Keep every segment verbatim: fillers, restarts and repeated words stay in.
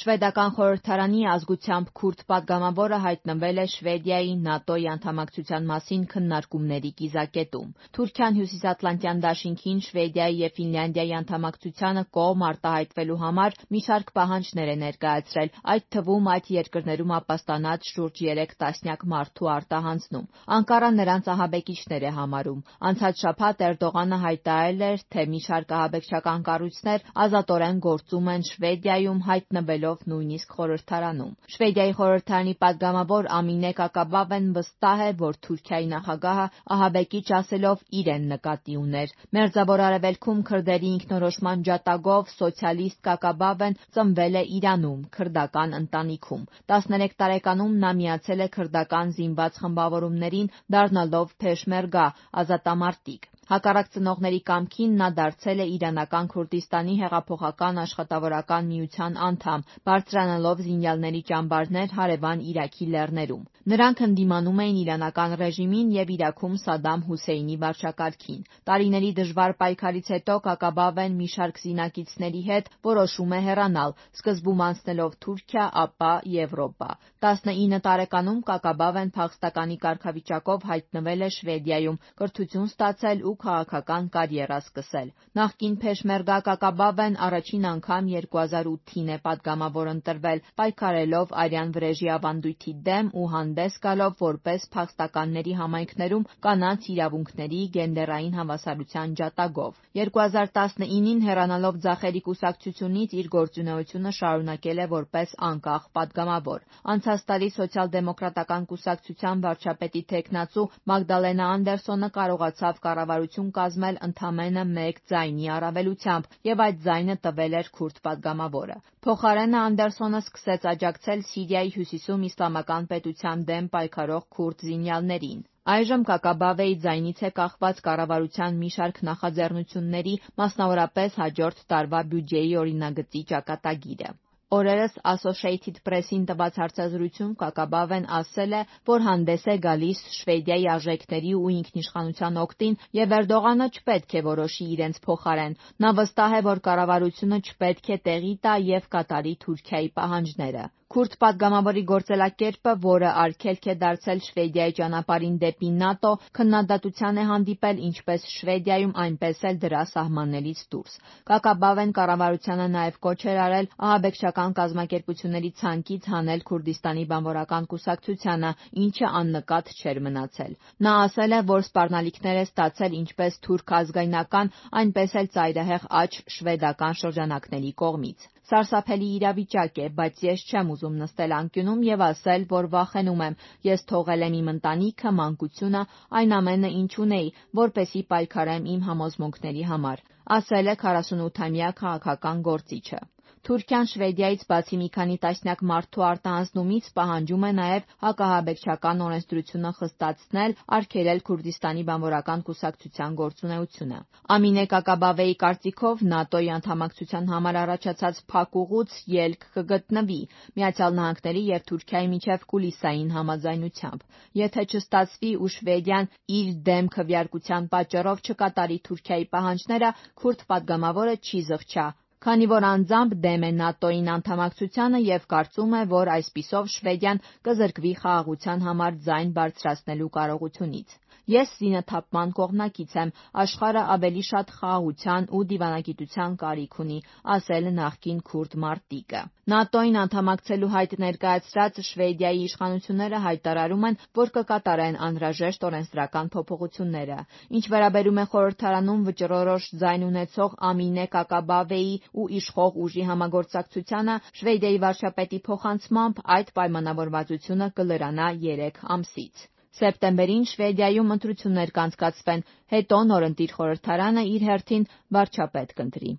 Շվեդական խորհրդարանի ազգությամբ քուրդ պատգամավորը հայտնվել է Շվեդիայի ՆԱՏՕ-ի անդամակցության մասին քննարկումների կիզակետում։ Թուրքիան Հյուսիսատլանտյան դաշինքին Շվեդիայի և Ֆինլանդիայի անդամակցությանը կողմ արտահայտվելու համար մի շարք պահանջներ է ներկայացրել, այդ թվում այդ երկրներում ապաստանած շուրջ երեք տասնյակ մարդու արտահանձնում։ Անկարան նրանց ահաբեկիչներ է համարում։ Անցած շաբաթ Էրդողանը հայտարարել էր, թե մի շարք ահաբեկչական կառույցներ ազատորեն գործում են Շվեդիայում, հայտնվելով նույնիսկ խորհրդարանում։ Շվեդիայի խորհրդարանի պատգամավոր Ամինե Կակաբավեն վստահ է, որ Թուրքիայի նախագահը ահաբեկիչ ասելով իրեն նկատի ուներ։ Մերձավոր Արևելքում քրդերի ինքնորոշման ջատագով սոցիալիստ Կակաբավեն ծնվել է Իրանում, քրդական ընտանիքում։ տասներեք տարեկանում նա միացել է քրդական զինված խմբավորումներին, դառնալով Փեշմերգա ազատամարտիկ։ Հակառակ ծնողների կամքին նա դարձել է Իրանական Քուրդիստանի հեղափոխական աշխատավորական միության անդամ, բարձրանալով զինյալների ճամբարներ հարևան Իրաքի լեռներում։ Նրանք ընդդիմանում էին իրանական ռեժիմին և Իրաքում Սադամ Հուսեյնի վարչակարգին։ Տարիների դժվար պայքարից հետո Կակաբավեն մի շարք զինակիցների հետ որոշում է հեռանալ, սկզբում անցնելով Թուրքիա, ապա Եվրոպա։ տասնինը տարեկանում Կակաբավեն փախստականի կարգավիճակով հայտնվել է Շվեդիայում, կրթություն ստացել ու քաղաքական կարիերա սկսել։ Նախկին Փեշմերգա Կակաբավեն առաջին անգամ երկու հազար ութին է պատգամավոր ընտրվել, պայքարելով արյան վրեժի ավանդույթի դեմ ու հանդես գալով որպես փախստականների համայնքներում կանանց իրավունքների, գենդերային հավասարության ջատագով։ երկու հազար տասնինին հեռանալով ձախերի կուսակցությունից իր գործունեությունը շարունակել է որպես անկախ պատգամավոր։ Անցած տարի Սոցիալ-դեմոկրատական կուսակցության վարչապետի թեկնածու Մագդալենա Անդերսոնը կարողացավ կառավարություն կազմել ընդամենը մեկ ձայնի առավելությամբ, և այդ ձայնը տվել էր քուրդ պատգամավորը։ Փոխարենը Անդերսոնը սկսեց աջակցել Սիրիայի հյուսիսում իսլամական պետության դեմ պայքարող քուրդ զինյալներին։ Այժմ Կակաբավեի ձայնից է կախված կառավարության մի շարք նախաձեռնությունների, մասնավորապես հաջորդ տարվա բյուջեի օրինագծի ճակատագիրը։ Օրերս Associated Press-ին տված հարցազրույցում Կակաբավեն ասել է, որ հանդես է գալիս Շվեդիայի արժեքների ու ինքնիշխանության օգտին և Էրդողանը չպետք է որոշի իրենց փոխարեն։ Նա վստահ է, որ կառավարությունը չպետք է տեղի տա և կատարի Թուրքիայի պահանջները։ Քուրդ պատգամավորի գործելակերպը, որը արգելք է դարձել Շվեդիայի ճանապարհին դեպի ՆԱՏՕ, քննադատության է հանդիպել ինչպես Շվեդիայում, այնպես էլ դրա սահմաններից դուրս։ Կակաբավեն կառավարությանը նաև կոչ էր արել ահաբեկչական կազմակերպությունների ցանկից հանել Քուրդիստանի բանվորական կուսակցությանը, ինչը աննկատ չէր մնացել։ Նա ասել է, որ սպառնալիքներ է ստացել ինչպես թուրք ազգայնական, այնպես էլ ծայրահեղ աջ շվեդական շրջանակների կողմից։ Սարսափելի իրավիճակ է, բայց ես չեմ ուզում նստել անկյունում և ասել, որ վախենում եմ։ Ես թողել եմ իմ ընտանիքը, մանկությունը, այն ամենը, ինչ ունեի, որպեսզի պայքարեմ իմ համոզմունքների համար, ասել է քառասունութամյա քաղաքական գործիչը։ Թուրքիան Շվեդիայից բացի մի քանի տասնյակ մարդու արտահանձնումից պահանջում է նաև հակաահաբեկչական օրենսդրությունը խստացնել, արգելել Քուրդիստանի բանվորական կուսակցության գործունեությունը։ Ամինե Կակաբավեի կարծիքով ՆԱՏՕ-ի անդամակցության համար առաջացած փակ ուղուց ելք կգտնվի Միացյալ Նահանգների և Թուրքիայի միջև կուլիսային համաձայնությամբ։ Եթե չստացվի ու Շվեդիան իր դեմ քվեարկության պատճառով չկատարի Թուրքիայի պահանջները, քուրդ պատգամավորը չի զղջա, քանի որ անձամբ դեմ է ՆԱՏՕ-ին անդամակցությանը և կարծում է, որ այսպիսով Շվեդիան կզրկվի խաղաղության համար ձայն բարձրացնելու կարողությունից։ Ես զինաթափման կողմնակից եմ, աշխարհը ավելի շատ խաղաղության ու դիվանագիտության կարիք ունի, ասել նախկին քուրդ մարտիկը։ ՆԱՏՕ-ին անդամակցելու հայտ ներկայացրած Շվեդիայի իշխանությունները հայտարարում են, որ կկատարեն անհրաժեշտ օրենսդրական փոփոխությունները։ Ինչ վերաբերում է խորհրդարանում վճռորոշ ձայն ունեցող Ամինե Կակաբավեի ու իշխող ուժի համագործակցությանը, Շվեդիայի վարչապետի փոխանցմամբ այդ պայմանավորվածությունը կլրանա երեք ամսից։ Սեպտեմբերին Շվեդիայում ընտրություններ կանցկացվեն, հետո նորընտիր խորհրդարանը իր հերթին վարչապետ կընտրի։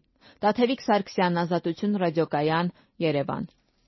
Տաթևիկ Սարգսյան, Ազատություն ռադիոկայան, Երևան։